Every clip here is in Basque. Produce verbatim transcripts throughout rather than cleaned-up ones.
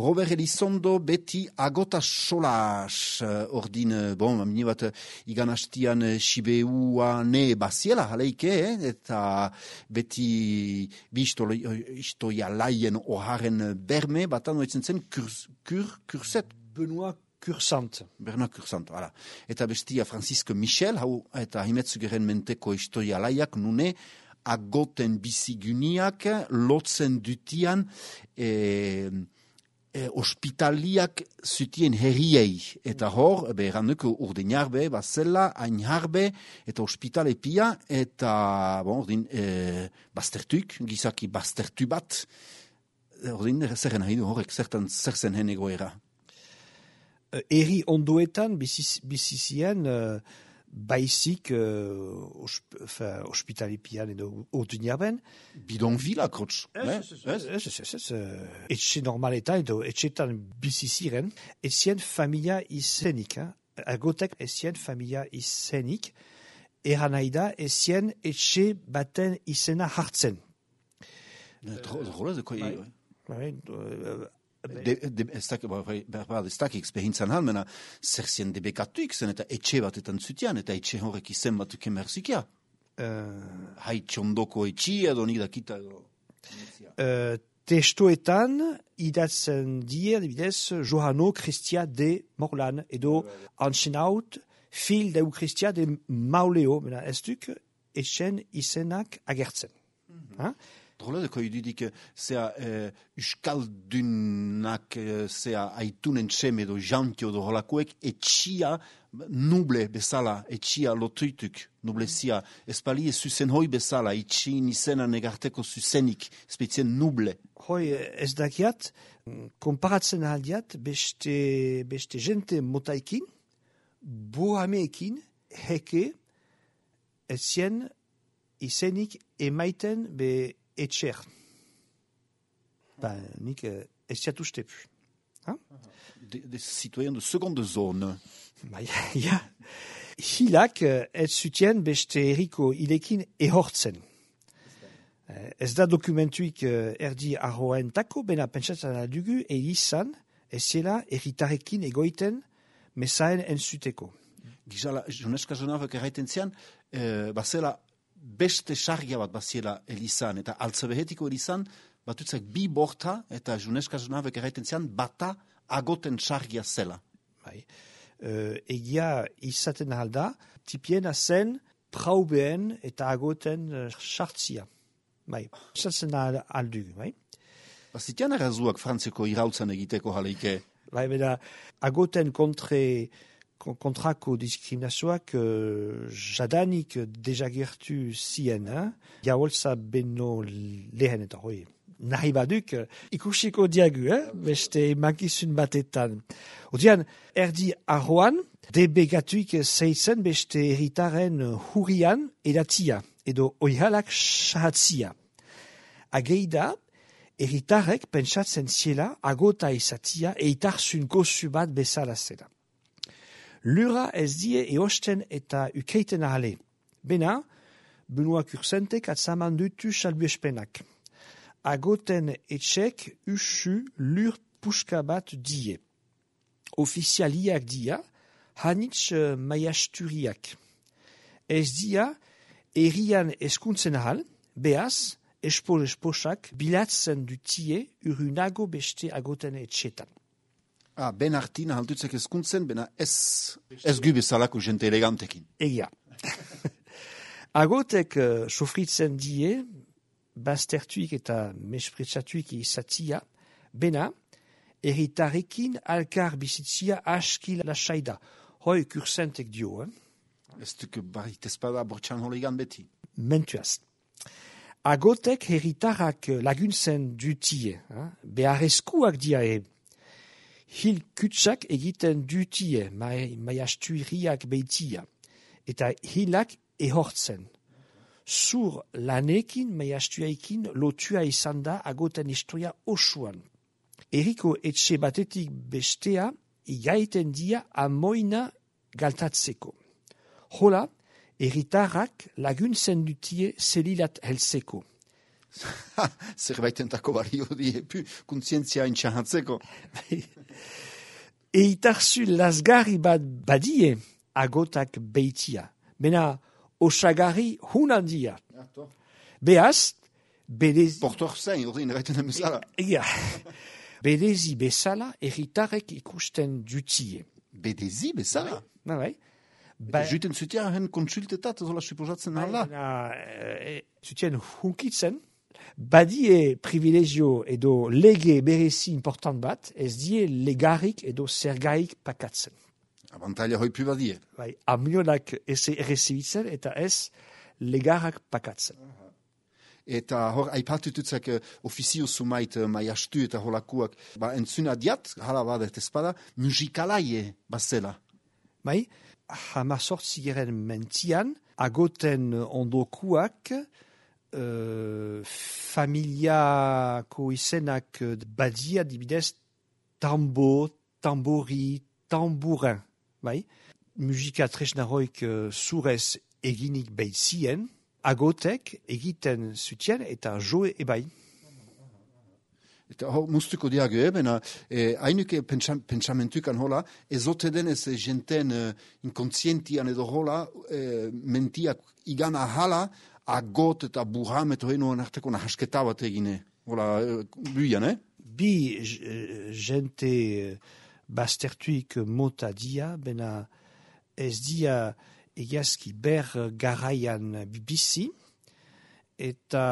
Robert Elizondo beti agota solas, ordin, bon, mini bat, igan hastian Sibeua ne baziela, haleike, eh? Eta beti bi istoia laien oharen berme, batan oitzen zen kurs, kur, kurset. Benoit Cursant. Bernard Cursant, voilà. Eta bestia Francisco Michel, hau, eta himetzugeren menteko istoia laiak, nune, agoten biziguniak, lotzen dutian, e, e, ospitaliak zutien herriei. Eta hor, be, erranduko urdenarbe, bazela, ainharbe, eta ospitale pia, eta, bon, ordin, e, baztertuk, gizaki baztertu bat, ordin, zerren nahi du horrek, zertan, zer zen hen egoera. Eri ondoetan bizizien uh, baizik uh, osp, ospitalipian edo urduñaben. Bidonvila, krotz. Etxe normaletan edo etxetan biziziren, ezien familia izenik. Eh? Agotek ezien familia izenik, eran nahi da ezien etxe baten izena hartzen. Drola, de koi... Bai, De, de, ez dakik behintzan halmena, zer zien debekatuik zen, eta etxe batetan zutian, eta etxe horrek izen batuk emerzikia. Uh, Hai txondoko etxi edo nik dakita edo... Uh, testoetan idatzen die, adibidez, Johano Christia de Morlan, edo Anschenaut, fil deu Christia de Mauleo, mena ez duk etxen izenak agertzen. Mm-hmm. Drola deko idudik, zea eh, uskaldunak, zea aitunen txeme edo jantio edo holakoek, etxia nuble bezala, etxia lotuituk, nublezia. Espali ez zuzen hoi bezala, etxin izena negarteko zuzenik, spetzien nuble. Hoi ez dakiat, konparatzen aldiat, beste, beste jente motaikin, bohameekin, heke, ezien izenik emaiten be etxer. Ba, nik ez jatuzte pu. Des de citoyens de seconde zone. Ba, ja, ja. Hilak ez zutien beste eriko ilekin ehortzen. Ez da dokumentuik erdi arroentako, bena pentsatzen adugu, elizan, ez zela erritarekin egoiten mesaen entzuteko. Gizala, Joneska Jonavek erraiten zian, eh, bazela beste sargia bat baziela elizan, eta altzebehetiko elizan, batutzak bi borta, eta Joneska Jonavek erraiten zian, bata agoten sargia zela. Bai. Uh, egia izaten alda, tipiena zen praubeen eta agoten sartzia. Bai, izaten aldugu, bai. Bazitian errazuak frantzeko irautzan egiteko jaleike? Bai, beda, agoten kontre kontrako diskriminazioak uh, jadanik dejagertu zien, eh? Jaholza beno lehen eta hoi. Nahi baduk, ikusiko diagu, eh? Beste makizun batetan. Odian, erdi arroan, debegatuik zeitzen beste erritaren hurrian edatia, edo oihalak sahatzia. Ageida, erritarek pentsatzen ziela agota izatia eitarzun gozu bat bezala zela. Lura ez die eosten eta ukeiten ahale. Bena, Benoit Cursantek atzaman dutu salbuespenak. Agoten etxek usu lur puska bat die. Ofizialiak dia, hanitz uh, maiasturiak. Ez dia, erian eskuntzen ahal, behaz, espol-esposak bilatzen dutie urunago beste agoten etxetan. Ah, ben hartina haltutzek eskuntzen, bena ez, ez gubezalako jente elegantekin. Egia. Agotek uh, sofritzen die, baztertuik eta mespretsatuik izatia, bena, erritarekin alkar bizitzia askil lasaida. Hoi Cursantek dio, eh? Ez duk barit ezpada bortxan holegan beti. Mentuaz. Agotek herritarak laguntzen dutie, eh? Beharrezkuak dia e. Hil kutsak egiten dutie, maiastuiriak beitia, eta hilak ehortzen. Zur lanekin, maiastuaikin, lotua izan da agoten historia osuan. Eriko etxe batetik bestea, igaiten dia amoina galtatzeko. Hola, erritarrak laguntzen dutie zelilat helzeko. Zerbaitentako bario di, epu, kontzientzia intxahatzeko. Eitarzu lasgarri bat badie agotak beitia. Bena osagarri hunandia. Beaz, bedezi... Portor zain, ordin, erraiten amezala. Ega, bedezi bezala erritarek ikusten dutie. Bedezi bezala? Na bai. Ba... Juten zutia hen konsultetat, zola suposatzen hala? E, zutien hunkitzen, badie privilegio edo lege berezi important bat, ez die legarik edo zergaik pakatzen. Abantaila hoipu badie. Bai, amionak ez errezibitzen eta ez legarak pakatzen. Eta hor, aipatututzak uh, ofizio sumait uh, maiastu eta holakuak, ba, entzun adiat, hala badet ezpada, musikalaie bazela. Bai, hama sortzigeren mentian, agoten ondokuak, uh, familiako izenak badia dibidez tambo, tambori, tambourin. Bai, musika tresnaroik uh, zurez eginik beitzien, agotek egiten zutien eta joe ebai. Eta hor, mustuko diage, bena, eh, hainuke pentsamentukan hola, ezote denez jenten eh, inkontzientian edo hola, eh, mentiak igana hala, agot eta burham eta henoan arteko nahasketa bat egine. Hola, eh, buian, eh? Bi jente bastertuik mota dia, bena ez dia egiazki ber garaian bizi, eta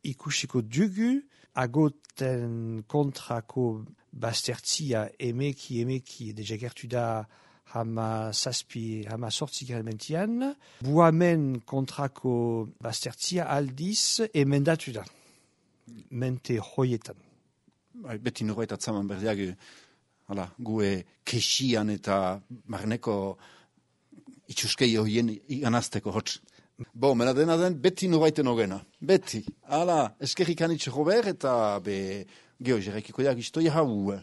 ikusiko dugu agoten kontrako bastertzia emeki emeki dejagertu da hama zazpi, hama sortzi mentian, buamen kontrako bastertzia aldiz emendatu da, mente hoietan. Beti norbaita atzaman berdiak, hala, gue kesian eta marneko itxuskei horien iganazteko hotz. Bo, mena dena den, beti norbaiten ogena. Beti. Hala, eskerrik anitxe Robert eta be, geho, jerekiko jak istoia hau.